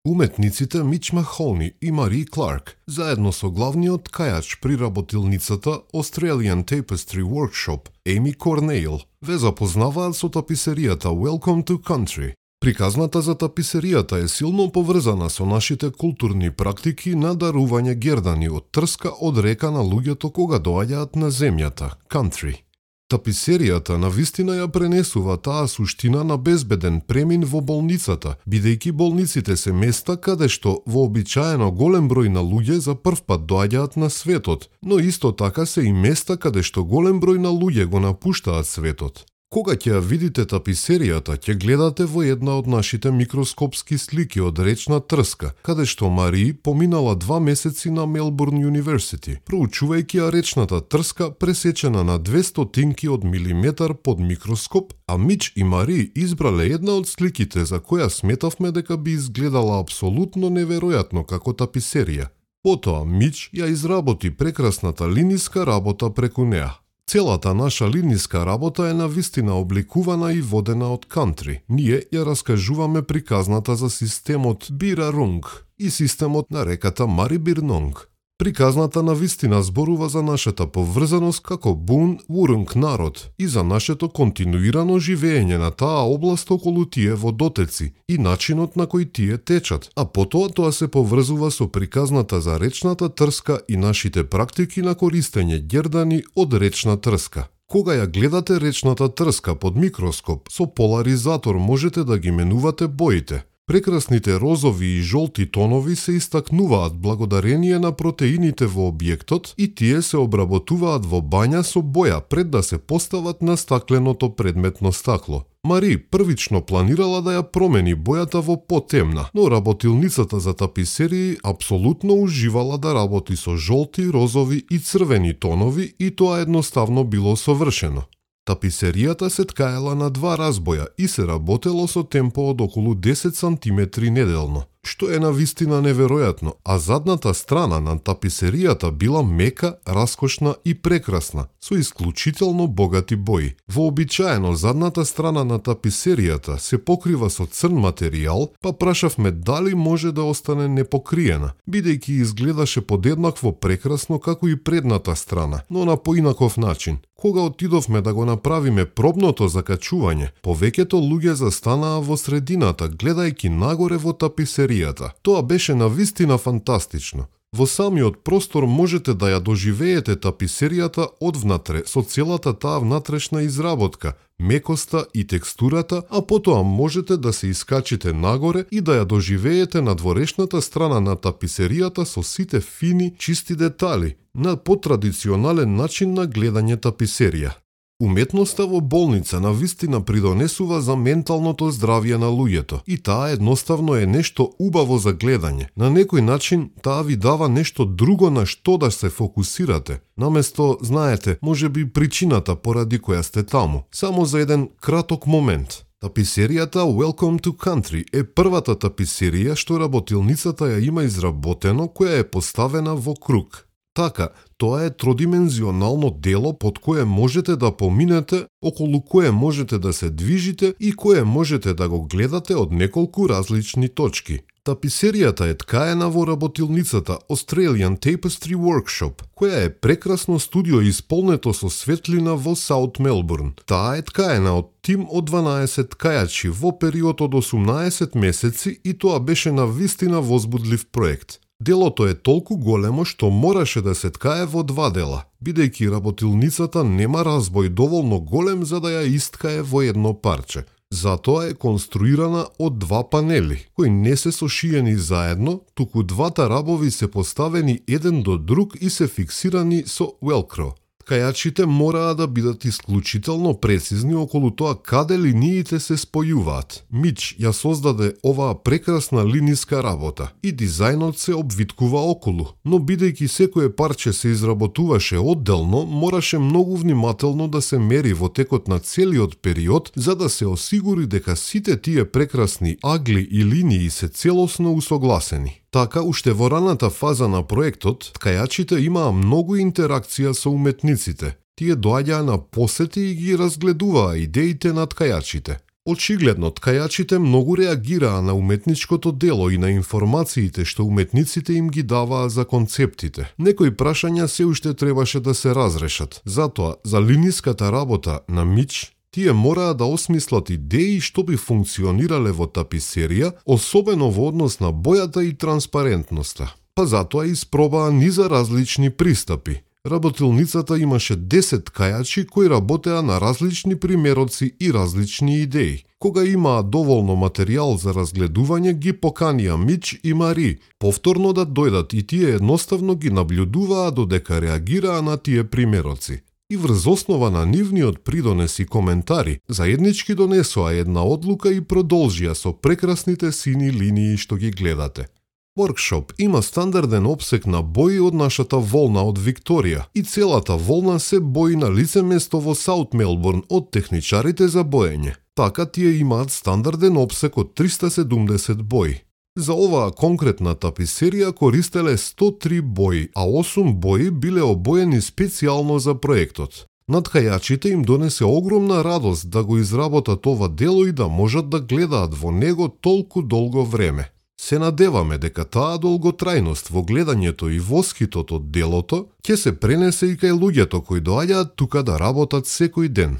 Уметниците Мич Махони и Мари Кларк, заедно со главниот ткајач при работилницата Australian Tapestry Workshop, Amy Cornell, ве запознаваат со таписеријата Welcome to Country. Приказната за таписеријата е силно поврзана со нашите културни практики на дарување гердани од трска од река на луѓето кога доаѓаат на земјата, country. Таписеријата навистина ја пренесува таа суштина на безбеден премин во болницата, бидејќи болниците се места каде што вообичаено голем број на луѓе за прв пат доаѓаат на светот, но исто така се и места каде што голем број на луѓе го напуштаат светот. Кога ќе ја видите таписеријата, ќе гледате во една од нашите микроскопски слики од речна трска, каде што Мари поминала 2 месеци на Мелбурн University, проучувајќи ја речната трска пресечена на 200 од милиметар под микроскоп, а Мич и Мари избрале една од сликите за која сметавме дека би изгледала апсолутно неверојатно како таписерија. Потоа Мич ја изработи прекрасната линиска работа преку неа. Целата наша линиска работа е навистина обликувана и водена од кантри. Ние ја раскажуваме приказната за системот Бирарунг и системот на реката Марибирнонг. Приказната навистина зборува за нашата поврзаност како Бун Вурунг народ и за нашето континуирано живење на таа област околу тие водотеци и начинот на кој тие течат, а потоа тоа се поврзува со приказната за речната трска и нашите практики на користење гердани од речна трска. Кога ја гледате речната трска под микроскоп, со поларизатор можете да ги менувате боите. Прекрасните розови и жолти тонови се истакнуваат благодарение на протеините во објектот и тие се обработуваат во бања со боја пред да се постават на стакленото предметно стакло. Мари првично планирала да ја промени бојата во потемна, но работилницата за таписерии апсолутно уживала да работи со жолти, розови и црвени тонови и тоа едноставно било совршено. Таписеријата се ткаела на 2 разбоја и се работело со темпо од околу 10 сантиметри неделно, што е навистина неверојатно, а задната страна на таписеријата била мека, раскошна и прекрасна, со исклучително богати бои. Вообичаено задната страна на таписеријата се покрива со црн материјал, па прашавме дали може да остане непокриена, бидејќи изгледаше подеднакво прекрасно како и предната страна, но на поинаков начин. Кога отидовме да го направиме пробното закачување, повеќето луѓе застанаа во средината, гледајќи нагоре во таписеријата. Тоа беше навистина фантастично. Во самиот простор можете да ја доживеете таписеријата одвнатре со целата таа внатрешна изработка, мекоста и текстурата, а потоа можете да се искачите нагоре и да ја доживеете на дворешната страна на таписеријата со сите фини, чисти детали, на потрадиционален начин на гледање таписерија. Уметноста во болница навистина придонесува за менталното здравје на луѓето и таа едноставно е нешто убаво за гледање. На некој начин таа ви дава нешто друго на што да се фокусирате. Наместо, знаете, може би причината поради која сте таму, само за еден краток момент. Таписеријата Welcome to Country е првата таписерија што работилницата ја има изработено, која е поставена во круг. Така, тоа е тродимензионално дело под кое можете да поминете, околу кое можете да се движите и кое можете да го гледате од неколку различни точки. Таписеријата е ткаена во работилницата Australian Tapestry Workshop, која е прекрасно студио исполнето со светлина во Саут Мелбурн. Таа е ткаена од тим од 12 ткајачи во период од 18 месеци и тоа беше навистина возбудлив проект. Делото е толку големо што мораше да се ткае во 2 дела, бидејќи работилницата нема разбој доволно голем за да ја исткае во едно парче. Затоа е конструирана од 2 панели, кои не се сошиени заедно, туку двата рабови се поставени еден до друг и се фиксирани со велкро. Ткајачите мораа да бидат исклучително прецизни околу тоа каде линиите се спојуваат. Мич ја создаде оваа прекрасна линиска работа и дизајнот се обвиткува околу, но бидејќи секое парче се изработуваше одделно, мораше многу внимателно да се мери во текот на целиот период за да се осигури дека сите тие прекрасни агли и линии се целосно усогласени. Така, уште во раната фаза на проектот, ткајачите имаа многу интеракција со уметниците. Тие доаѓаа на посети и ги разгледуваа идеите на ткајачите. Очигледно, ткајачите многу реагираа на уметничкото дело и на информациите што уметниците им ги даваа за концептите. Некои прашања се уште требаше да се разрешат. Затоа, за линиската работа на Мич, тие мораа да осмислат идеи што би функционирале во таписерија, особено во однос на бојата и транспарентноста. Па затоа испробаа низа различни пристапи. Работилницата имаше 10 ткајачи кои работеа на различни примероци и различни идеи. Кога имаа доволно материјал за разгледување, ги поканија Мич и Мари повторно да дојдат и тие едноставно ги наблюдуваа додека реагираа на тие примероци. И врз основа на нивниот придонес и коментари, заеднички донесоа една одлука и продолжија со прекрасните сини линии што ги гледате. Workshop има стандарден опсек на бои од нашата волна од Викторија и целата волна се бои на лице место во Саут Мелбурн од техничарите за боење. Така тие имаат стандарден опсек од 370 бои. За оваа конкретна таписерија користеле 103 бои, а 8 бои биле обоени специјално за проектот. На ткајачите им донесе огромна радост да го изработат ова дело и да можат да гледаат во него толку долго време. Се надеваме дека таа долготрајност во гледањето и воскитот од делото ќе се пренесе и кај луѓето кои доаѓаат тука да работат секој ден.